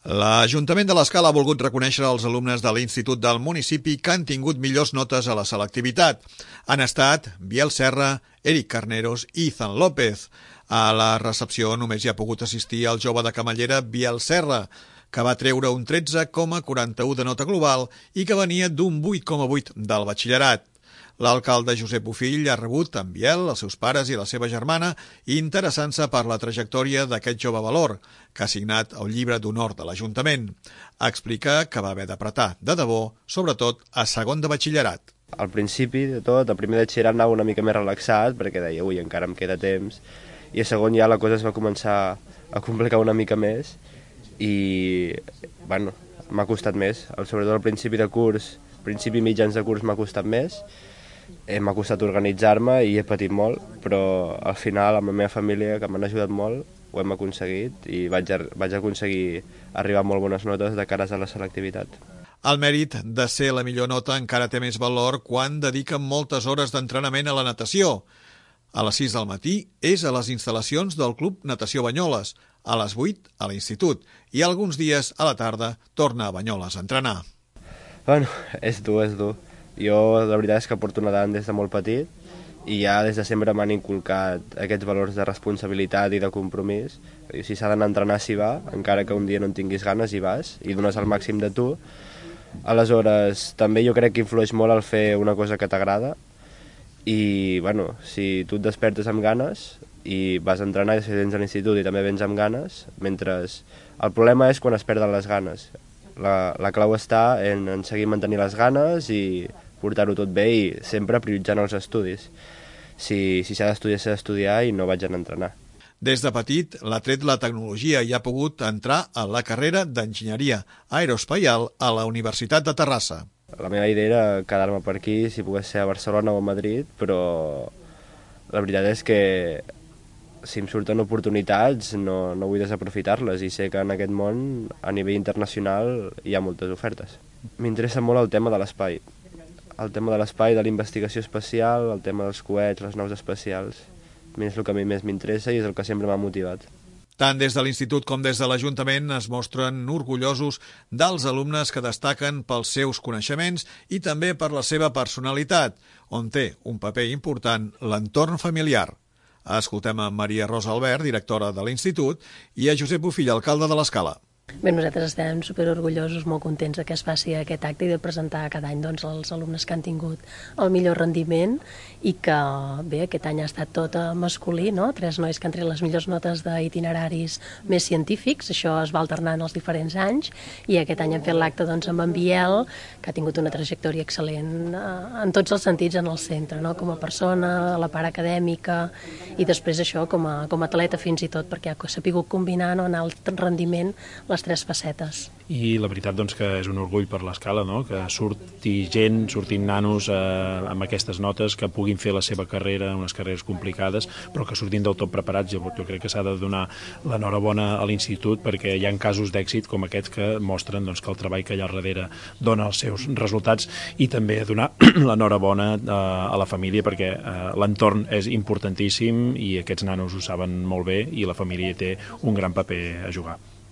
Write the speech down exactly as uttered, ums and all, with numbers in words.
L'Ajuntament de l'Escala ha volgut reconèixer els alumnes de l'Institut del municipi que han tingut millors notes a la selectivitat. Han estat Biel Serra, Eric Carneros i Ethan López. A la recepció només hi ha pogut assistir el jove de Camallera Biel Serra, que va treure un tretze coma quaranta-u de nota global i que venia d'un vuit coma vuit del batxillerat. L'alcalde Josep Bofill ha rebut en Biel, els seus pares i la seva germana, interessant-se per la trajectòria d'aquest jove valor, que ha signat el llibre d'honor de l'Ajuntament. Explica que va haver d'apretar de debò, sobretot a segon de batxillerat. Al principi de tot, el primer de batxillerat anava una mica més relaxat, perquè deia, ui, encara em queda temps, i a segon ja la cosa es va començar a complicar una mica més, i, bueno, m'ha costat més. Sobretot al principi de curs, principi i mitjans de curs m'ha costat més, m'ha costat organitzar-me i he patit molt, però al final amb la meva família, que m'han ajudat molt, ho hem aconseguit i vaig, a, vaig aconseguir arribar a molt bones notes de cares a la selectivitat. El mèrit de ser la millor nota encara té més valor quan dediquen moltes hores d'entrenament a la natació. A les sis del matí és a les instal·lacions del Club Natació Banyoles, a les vuit a l'institut i alguns dies a la tarda torna a Banyoles a entrenar. Bueno, és dur, és dur. Jo la veritat és que porto nedant des de molt petit i ja des de sempre m'han inculcat aquests valors de responsabilitat i de compromís. Si s'ha d'anar a entrenar, s'hi va, encara que un dia no en tinguis ganes, hi vas i dones el màxim de tu. Aleshores, també jo crec que influeix molt el fer una cosa que t'agrada i, bueno, si tu et despertes amb ganes i vas a entrenar i si tens a l'institut i també vens amb ganes, mentre... El problema és quan es perden les ganes. La, la clau està en, en seguir mantenir les ganes i portar-ho tot bé i sempre prioritzant els estudis. Si si s'ha d'estudiar, s'ha d'estudiar i no vaig anar a entrenar. Des de petit l'ha tret la tecnologia i ha pogut entrar a la carrera d'enginyeria aeroespacial a la Universitat de Terrassa. La meva idea era quedar-me per aquí, si pogués ser a Barcelona o a Madrid, però la veritat és que si em surten oportunitats no, no vull desaprofitar-les i sé que en aquest món a nivell internacional hi ha moltes ofertes. M'interessa molt el tema de l'espai, el tema de l'espai, de la investigació espacial, el tema dels coets, les naus espacials. És el que a mi més m'interessa i és el que sempre m'ha motivat. Tant des de l'Institut com des de l'Ajuntament es mostren orgullosos dels alumnes que destaquen pels seus coneixements i també per la seva personalitat, on té un paper important l'entorn familiar. Escoltem a Maria Rosa Albert, directora de l'Institut, i a Josep Bofill, alcalde de l'Escala. Bé, nosaltres estem superorgullosos, molt contents que es faci aquest acte i de presentar cada any doncs, els alumnes que han tingut el millor rendiment i que, bé, aquest any ha estat tot masculí, no? Tres nois que han tret les millors notes d'itineraris més científics, això es va alternant els diferents anys i aquest any hem fet l'acte doncs, amb en Biel, que ha tingut una trajectòria excel·lent eh, en tots els sentits en el centre, no? Com a persona, a la part acadèmica i després això com a, com a atleta fins i tot, perquè ha sapigut combinar no, en alt rendiment les tres facetes. I la veritat doncs, que és un orgull per l'Escala, no? Que surti gent, surtin nanos eh, amb aquestes notes, que puguin fer la seva carrera, unes carreres complicades, però que surtin del tot preparats. Jo, jo crec que s'ha de donar l'enhorabona a l'institut perquè hi ha casos d'èxit com aquests que mostren doncs, que el treball que hi ha al darrere dona els seus resultats i també donar l'enhorabona eh, a la família perquè eh, l'entorn és importantíssim i aquests nanos ho saben molt bé i la família té un gran paper a jugar.